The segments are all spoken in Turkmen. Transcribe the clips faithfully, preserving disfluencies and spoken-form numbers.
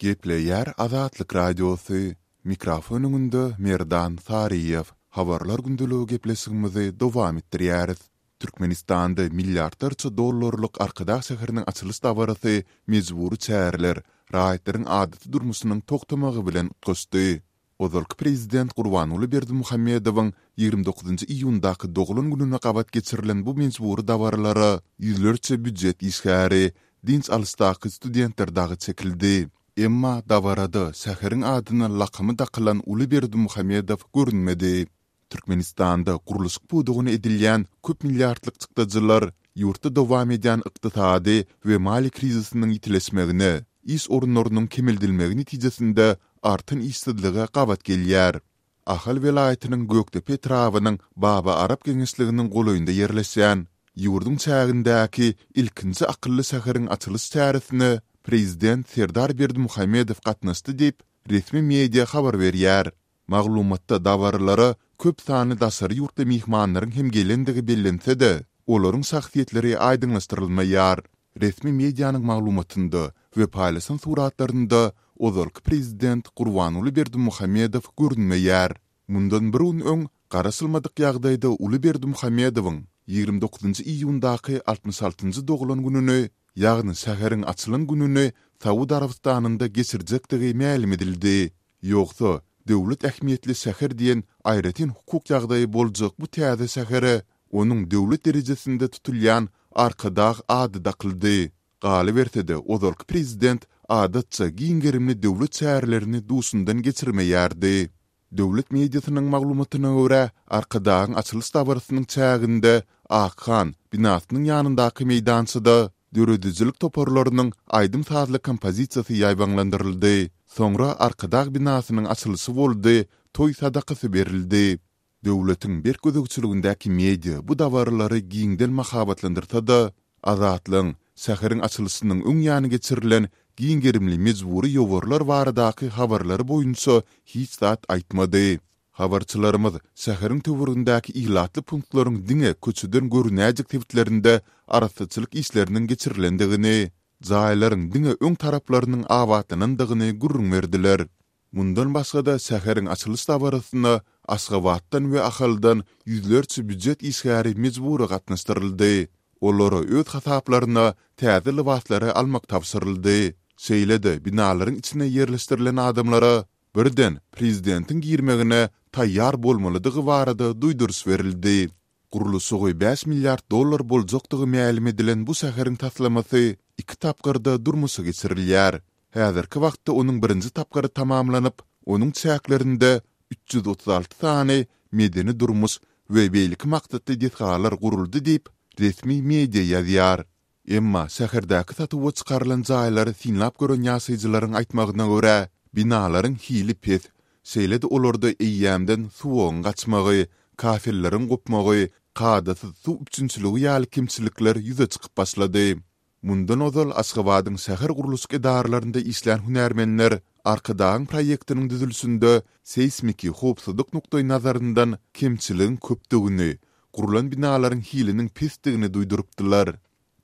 Gepleýär Azatlyk Radiosy, Mikrofon öňünde Merdan Saryýew. Habarlar gündeligi gepleşigimizi dowam etdirýäris. Türkmenistanda milliardlarça dollarlyk Arkadag şäheriniň açylyş dabarasy mejbury çäreler, raýatlaryň adaty durmuşynyň togtamagy bilen utgaşdy. Ozalky prezident Gurbanguly Berdimuhamedowyň ýigrimi dokuzynjy iýundaky doglan gününe gabat geçirilen bu mejbury dabaralara ýüzlerçe býujet işgäri, dynç alyşdaky studentler dagy çekildi. Emma dabarada şäheriň adyna lakamy dakylan uly Berdimuhamedow görünmedi. Türkmenistanda gurluşyk pudagyna edilýän köp milliardlyk çykdajylar ýurtda dowam edýän ykdysady we maliýe krizisiniň ýitileşmegine, iş orunlarynyň kemeldilmegi netijesinde artan işsizlige gabat gelýär. Ahal welaýatynyň Gökdepe etrabynyň Baba Arap geňeşliginiň golaýynda ýerleşýän, ýurduň çägindäki ilkinji akylly şäheriň açylyş çäresine prezident Serdar Berdimuhamedow gatnaşdy diýip, resmi media habar berýär. Maglumatda dabaralara köp sanly daşary ýurtly myhmanlaryň hem gelendigi bellense-de, olaryň şahsyýetleri aýdyňlaşdyrylmaýar. Resmi medianyň maglumatynda we paýlaşan suratlarynda ozalky prezident Gurbanguly Berdimuhamedow görünmeýär. Mundan bir gün öň, garaşylmadyk ýagdaýda uly Berdimuhamedowyň ýigrimi dokuzynjy iýundaky altmyş altynjy doglan gününi, ýagny şäheriň açylan gününi Saud Arabystanynda geçirjekdigi mälim edildi. Ýogsa, döwlet ähmiýetli şäher diýen aýratyn hukuk ýagdaýy boljak bu täze şähere onuň döwlet derejesinde tutulýan Arkadag ady dakyldy. Galyberse-de, ozalky prezident adatça giň gerimli döwlet çärelerini duşundan geçirmeýärdi. Döwlet mediasynyň maglumatyna görä, Arkadagyň açylyş dabarasynyň çäginde Akhan binasynyň ýanyndaky meýdançada döredijilik toparlarynyň aýdym-sazly kompozisiýasy ýaýbaňlandyryldy. Soňra Arkadag binasynyň açylyşy boldy, toý sadakasy berildi. Döwletiň berk gözegçiligindäki media bu dabaralary giňden mahabatlandyrsa-da, Azatlygyň şäheriň açylyşynyň öň ýany geçirilen giň gerimli mejbury ýowarlar baradaky habarlary boýunça hiç zat aýtmady. Habarçylarymyz şäheriň töweregindäki ilatly punktlaryň diňe köçeden görünäýjek sebitlerinde arassaçylyk işleriniň geçirilendigini, jaýlaryň diňe öň taraplarynyň abatlanandygyny gürrüň berdiler. Mundan başga-da şäheriň açylyş dabarasyna Aşgabatdan we Ahaldan ýüzlerçe býujet işgäri mejbury gatnaşdyryldy. Olara öz hasaplaryna täze lybaslary almak tabşyryldy. Şeýle-de binalaryň içine ýerleşdirilen adamlara birden prezidentiň girmegine taýýar bolmalydygy barada duýduryş berildi. Gurluşygy bäş milliard dollar boljakdygy mälim edilen bu şäheriň taslamasy iki tapgyrda durmuşa geçirilýär. Häzirki wagtda onuň birinji tapgyry tamamlanyp, onuň çäklerinde üç ýüz otuz alty sany medeni-durmuş we beýleki maksatly desgalar guruldy diýip, resmi media ýazýar. Emma şäherdäki satuwa çykarylan jaýlary synlap gören ýaşaýjylaryň aýtmagyna görä, binalaryň hili pes, şeýle-de olarda eýýämden suwagyň gaçmagy, kafelleriň gopmagy, kadasyz suw üpjünçiligi ýaly kemçilikler ýüze çykyp başlady. Mundan ozal Aşgabadyň şäher gurluşyk edaralarynda işlän hünärmenler Arkadagyň proýektiniň düzülişinde seýsmiki howpsuzlyk nukdaýnazaryndan kemçiligiň köpdügini, gurlan binalaryň hiliniň pesdigini duýdurypdylar.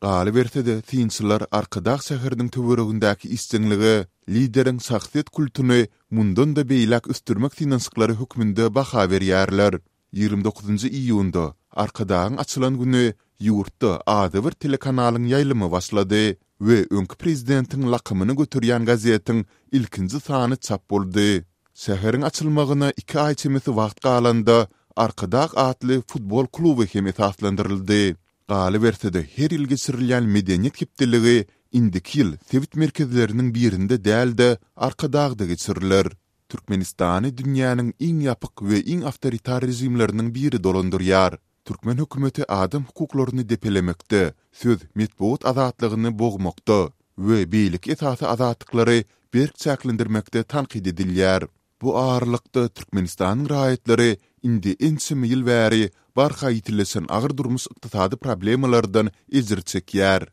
Galyberse-de, synçylar Arkadag şäheriniň töweregindäki işjeňlige lideriň şahsyýet kultuny mundan-da beýläk ösdürmek synanyşyklary hökmünde baha berýärler. Ýigrimi dokuzynjy iýunda, Arkadagyň açylan güni ýurtda adybir telekanalyň ýaýlymy başlady we öňki prezidentiň lakamyny göterýän gazetiň ilkinji sany çap boldy. Şäheriň açylmagyna iki aý çemesi wagt galanda, Arkadag atly futbol kluby hem esaslandyryldy. Galyberse-de, her ýyl geçirilýän Medeniýet hepdeligi indiki ýyl sebit merkezleriniň birinde däl-de, Arkadagda geçiriler. Türkmenistany dünýäniň iň ýapyk we iň awtoritar režimleriniň biri dolandyrýar. Türkmen hökümeti adam hukuklaryny depelemekde, söz, metbugat azatlygyny bogmakda we beýleki esasy azatlyklary berk çäklendirmekde tankyt edilýär. Bu aralykda, Türkmenistanyň raýatlary indi ençeme ýyl bäri barha ýitileşen agyr durmuş-ykdysady problemalardan ejir çekýär.